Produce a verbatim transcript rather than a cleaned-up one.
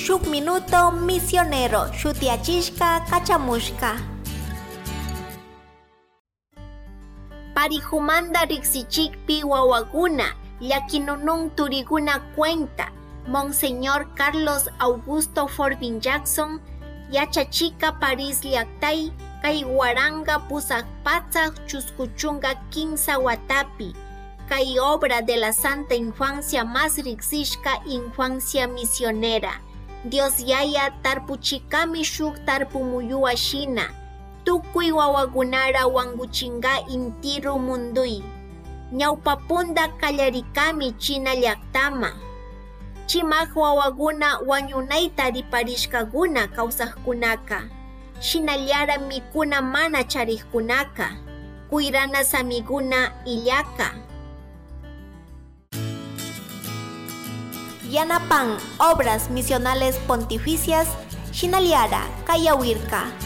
Shuk Minuto Misionero shutiachishka kachamushka. Parijumanda riksichikpi wawakuna llakinunun turiguna cuenta Monseñor Carlos Augusto Forbin Jackson yachachika Paris llaktay kay waranga pusaq patsak chuskuchunka kimsa watapi kay obra de la Santa Infancia más riksishka infancia misionera. Dios yaya tarpuchikami shuk tarpumuyuwa shina tukuy wawakunara wankuchinka intiru mundui. Ñawpapunda kallarikami China llaktama. Chimak wawakuna wañunayta riparishkakuna kawsaqkunaka. Shinallara mikuna mana charikkunaka. Kuyrana samiguna illaka. Yanapan Obras Misionales Pontificias, Shinaliara, Kayawirka.